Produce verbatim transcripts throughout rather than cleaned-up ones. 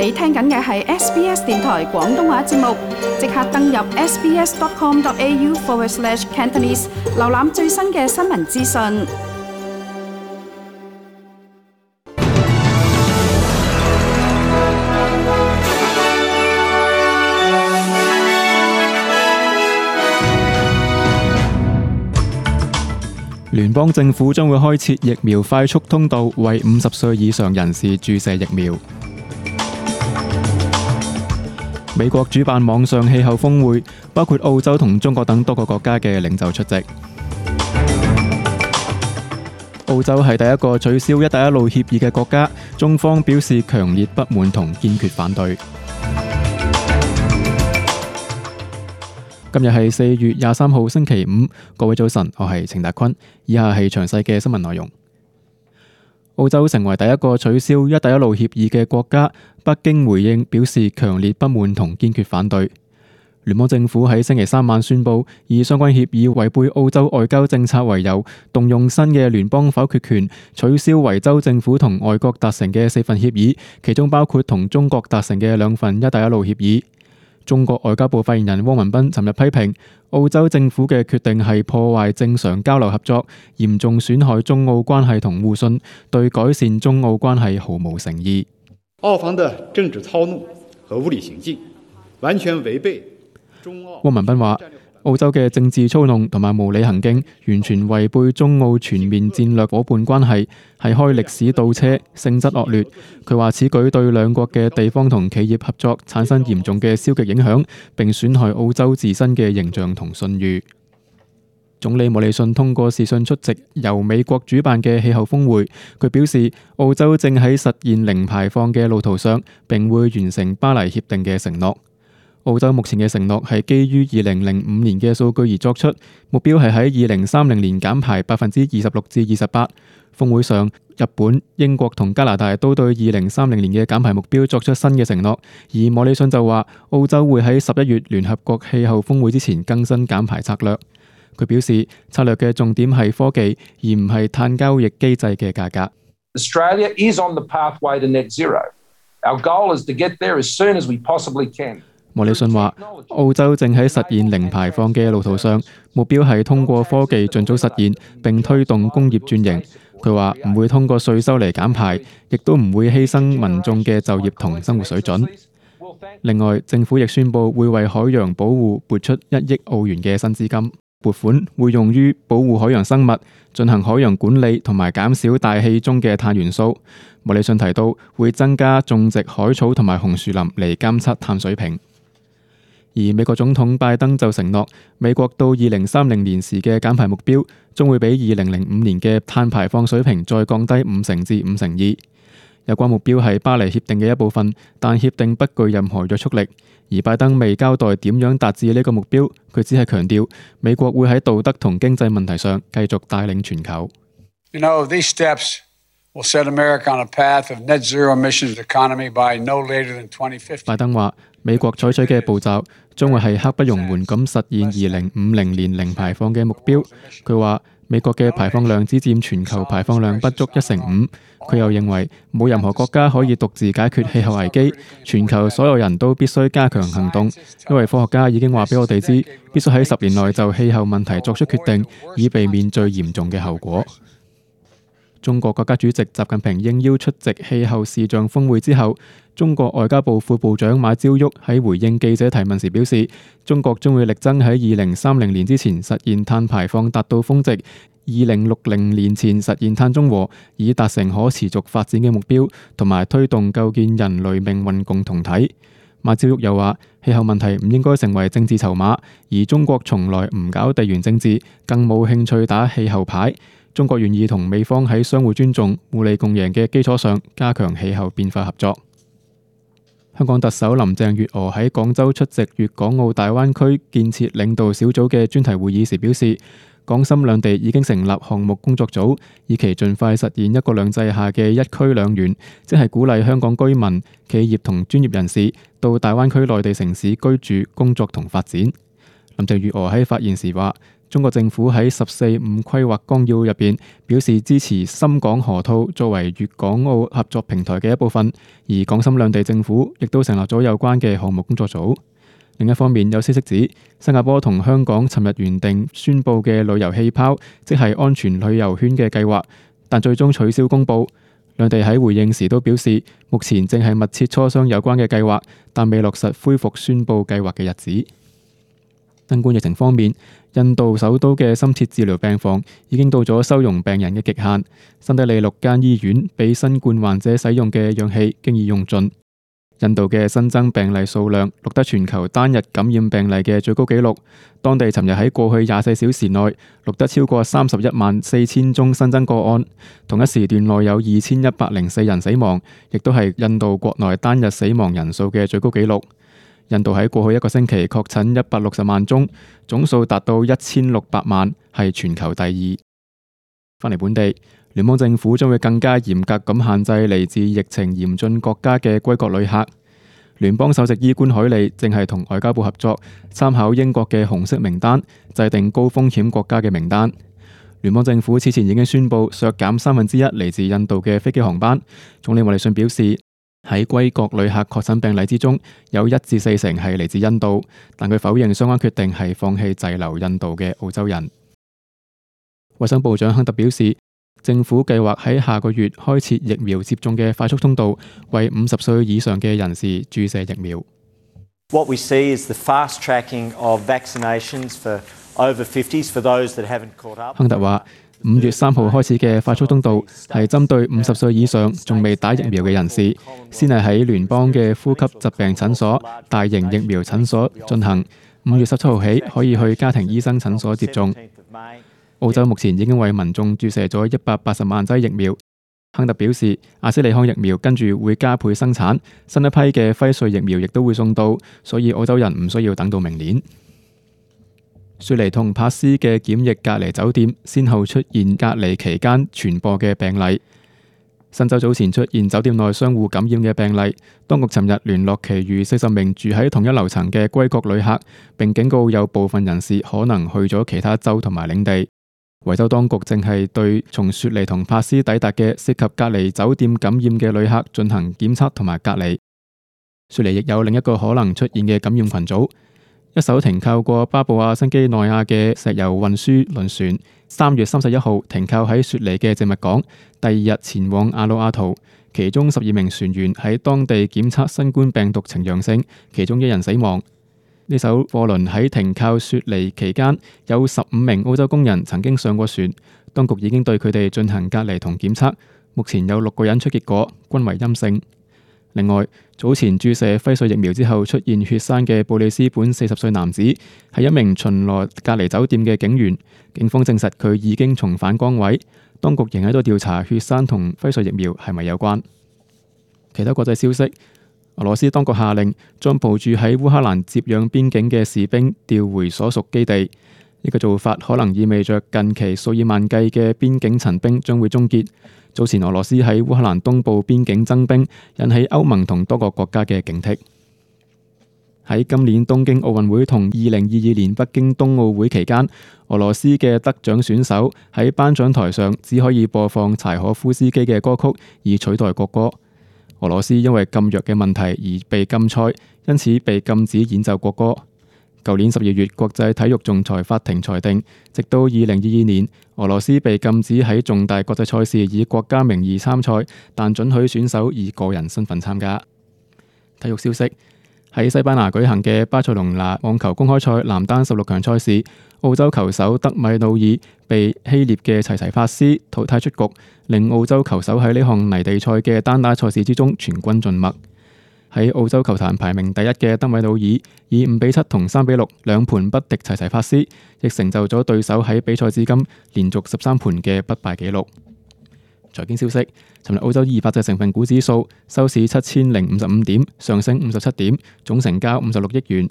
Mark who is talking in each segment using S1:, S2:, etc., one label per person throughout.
S1: 你聽緊嘅係 S B S 電台廣東話節目，即刻登入 sbs.com.au forward slash Cantonese， 瀏覽最新嘅新聞資訊。
S2: 聯邦政府將會開設疫苗快速通道，為五十歲以上人士注射疫苗。美國主辦網上氣候峰會，包括澳洲同中國等多個國家嘅領袖出席。澳洲係第一個取消一帶一路協議嘅國家，中方表示強烈不滿同堅決反對。今日係四月廿三號星期五，各位早晨，我係程達坤。以下係詳細嘅新聞內容。澳洲成為第一個取消一帶一路協議嘅國家，北京回應表示強烈不滿同堅決反對。聯邦政府喺星期三晚宣布，以相關協議違背澳洲外交政策為由，動用新嘅聯邦否決權，取消維州政府同外國達成嘅四份協議，其中包括同中國達成嘅兩份一帶一路協議。中國外交部發言人汪文斌尋日批評澳洲政府嘅決定係破壞正常交流合作，嚴重損害中澳關係同互信，對改善中澳關係毫無誠意。
S3: 澳方的政治操弄和無理行徑，完全違背中澳。
S2: 汪文斌話：澳洲嘅政治操弄同埋無理行徑，完全違背中澳全面戰略夥伴關係，係開歷史倒車，性質惡劣。佢話此舉對兩國嘅地方同企業合作產生嚴重嘅消極影響，並損害澳洲自身嘅形象同信譽。總理莫里遜通過視訊出席由美國主辦嘅氣候峰會，佢表示澳洲正喺實現零排放嘅路途上，並會完成巴黎協定嘅承諾。澳洲目前嘅承諾係基於二零零五年嘅數據而作出，目標係喺二零三零年減排百分之二十六至二十八。峰會上，日本、英國同加拿大都對二零三零年嘅減排目標作出新嘅承諾，而莫里遜就話澳洲會喺十一月聯合國氣候峰會之前更新減排策略。佢表示策略嘅重點係科技，而唔係碳交易機制嘅價格。
S4: Australia is on the pathway to net zero. Our goal is to get there as soon as we possibly can.
S2: 莫里遜話：澳洲正喺實現零排放嘅路途上，目標係通過科技盡早實現，並推動工業轉型。佢話唔會通過稅收嚟減排，亦都唔會犧牲民眾嘅就業同生活水準。另外，政府亦宣布會為海洋保護撥出一億澳元嘅新資金，撥款會用於保護海洋生物、進行海洋管理同埋減少大氣中嘅碳元素。莫里遜提到會增加種植海草同埋紅樹林嚟監測碳水平。而美國總統拜登就承諾，美國到二零三零年時嘅減排目標將會比二零零五年嘅碳排放水平再降低五成至五成二。有關目標係巴黎協定嘅一部分，但協定不具任何約束力。而拜登未交代點樣達至呢個目標，佢只係強調美國會喺道德同經濟問題上繼續帶領全球。
S5: You know, these steps will set America on a path of net zero emissions economy by no later than twenty fifty.
S2: 拜登話：美國採取嘅步驟將會係刻不容緩咁實現二零五零年零排放嘅目標。佢話美國嘅排放量只佔全球排放量不足一成五。佢又認為冇任何國家可以獨自解決氣候危機，全球所有人都必須加強行動，因為科學家已經話俾我哋知，必須喺十年內就氣候問題作出決定，以避免最嚴重嘅後果。中國國家主席習近平應邀出席氣候視像峰會之後，中國外交部副部長馬朝旭喺回應記者提問時表示，中國將會力爭喺二零三零年之前實現碳排放達到峰值，二零六零年前實現碳中和，以達成可持續發展嘅目標，同埋推動構建人類命運共同體。馬朝旭又話，氣候問題唔應該成為政治籌碼，而中國從來唔搞地緣政治，更冇興趣打氣候牌。中國願意同美方喺相互尊重、互利共贏嘅基礎上加強氣候變化合作。香港特首林鄭月娥喺廣州出席粵港澳大灣區建設領導小組嘅專題會議時表示，港深兩地已經成立項目工作組，以期盡快實現一國兩制下嘅一區兩園，即係鼓勵香港居民、企業同專業人士到大灣區內地城市居住、工作同發展。林鄭月娥喺發言時話，中國政府喺十四五規劃綱要入邊表示支持深港河套作為粵港澳合作平台嘅一部分，而港深兩地政府亦都成立咗有關嘅項目工作組。另一方面，有消息指新加坡同香港尋日原定宣佈嘅旅遊氣泡，即係安全旅遊圈嘅計劃，但最終取消公佈。兩地喺回應時都表示，目前正係密切磋商有關嘅計劃，但未落實恢復宣佈計劃嘅日子。新冠疫情方面，印度首都嘅深切治療病房已經到咗收容病人嘅極限，新德里六間醫院俾新冠患者使用嘅氧氣經已用盡。印度嘅新增病例數量錄得全球單日感染病例嘅最高紀錄，當地尋日喺過去廿四小時內錄得超過三十一萬四千宗新增個案，同一時段內有二千一百零四人死亡，亦都係印度國內單日死亡人數嘅最高紀錄。印度喺過去一個星期確診一百六十萬宗，總數達到一千六百萬，係全球第二。翻嚟本地，聯邦政府將會更加嚴格咁限制嚟自疫情嚴峻國家嘅歸國旅客。聯邦首席醫官海利正係同外交部合作，參考英國嘅紅色名單，制定高風險國家嘅名單。聯邦政府此前已經宣布削減三分之一嚟自印度嘅飛機航班。總理莫里遜表示，喺歸國旅客確診病例之中，有一至四成係嚟自印度，但佢否認相關決定係放棄滯留印度嘅澳洲人。衛生部長亨特表示，政府計劃喺下個月開設疫苗接種嘅快速通道，為五十歲以上嘅人士注射疫苗。
S6: What we see is the fast tracking of vaccinations for over fifties for those that haven't caught up.
S2: 亨特話，五月三號開始嘅快速通道係針對五十歲以上仲未打疫苗嘅人士，先係喺聯邦嘅呼吸疾病診所、大型疫苗診所進行。五月十七號起可以去家庭醫生診所接種。澳洲目前已經為民眾注射咗一百八十萬劑疫苗。亨特表示，阿斯利康疫苗跟住會加倍生產，新一批嘅輝瑞疫苗亦都會送到，所以澳洲人唔需要等到明年。雪梨同珀斯嘅檢疫隔離酒店先後出現隔離期間傳播嘅病例。新州早前出現酒店內相互感染嘅病例，當局尋日聯絡其餘四十名住喺同一樓層嘅歸國旅客，並警告有部分人士可能去咗其他州同埋領地。維州當局正係對從雪梨同珀斯抵達嘅涉及隔離酒店感染嘅旅客進行檢測同埋隔離。雪梨亦有另一個可能出現嘅感染群組，一艘停靠過巴布亞新幾內亞嘅石油運輸輪船，三月三十一號停靠喺雪梨嘅靜物港，第二日前往阿魯阿圖，其中十二名船員喺當地檢測新冠病毒呈陽性，其中一人死亡。呢艘貨輪喺停靠雪梨期間，有十五名澳洲工人曾經上過船，當局已經對佢哋進行隔離同檢測，目前有六個人出結果，均為陰性。另外，早前注射輝瑞疫苗之後出現血栓嘅布里斯本四十歲男子，係一名巡邏隔離酒店嘅警員，警方證實佢已經重返崗位，當局仍喺度調查血栓同輝瑞疫苗係咪有關。其他國際消息，俄羅斯當局下令將部署喺烏克蘭接壤邊境嘅士兵調回所屬基地。呢個做法可能意味着近期數以萬計嘅邊境陳兵將會終結。早前俄羅斯喺烏克蘭東部邊境增兵，引起歐盟同多個國家嘅警惕。喺今年東京奧運會同二零二二年北京冬奧會期間，俄羅斯嘅得獎選手喺頒獎台上只可以播放柴可夫斯基嘅歌曲，以取代國歌。俄羅斯因為禁藥嘅問題而被禁賽，因此被禁止演奏國歌。舊年十二月，國際體育仲裁法庭裁定，直到二零二二年，俄羅斯被禁止喺重大國際賽事以國家名義參賽，但准許選手以個人身份參加。體育消息，喺西班牙舉行嘅巴塞隆拿網球公開賽男單十六強賽事，澳洲球手德米努爾被希臘嘅齊齊帕斯淘汰出局，令澳洲球手喺呢項泥地賽嘅單打賽事之中全軍盡墨。喺澳洲球壇排名第一嘅德米努爾以五比七同三比六兩盤不敵齊齊帕斯，亦成就咗對手喺比賽至今連續十三盤嘅不敗紀錄。財經消息，尋日澳洲二百隻成分股指數收市七千零五十五點，上升五十七點，總成交五十六億元。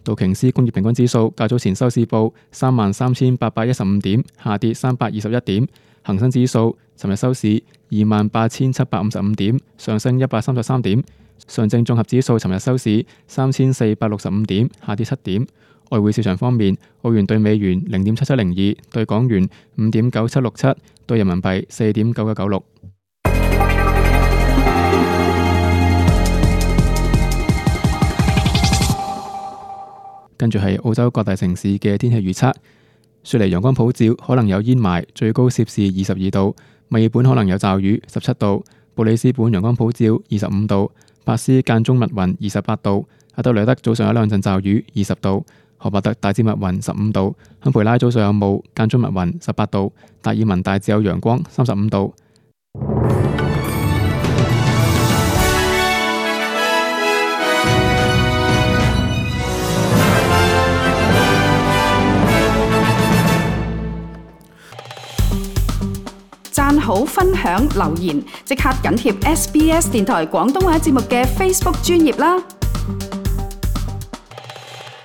S2: 道瓊斯工業平均指數較早前收市報三萬三千八百一十五點，下跌三百二十一點。恒生指數尋日收市二萬八千七百五十五點，上升一百三十三點。上證綜合指數尋日收市三千四百六十五點，下跌七點。外匯市場方面，澳元對美元零點七七零二，對港元五點九七六七，對人民幣四點九九九六。跟住係澳洲各大城市嘅天氣預測。雪梨陽光普照，可能有煙霾，最高攝氏二十二度；墨爾本可能有驟雨，十七度；布里斯本陽光普照，二十五度；珀斯間中密雲，二十八度；阿德萊德早上有兩陣驟雨，二十度；荷伯特大致密雲，十五度；堪培拉早上有霧，間中密雲，十八度；達爾文大致有陽光，三十五度。
S1: 讚好、分享、留言，即刻緊貼 S B S 電台廣東話節目嘅 Facebook 專頁啦！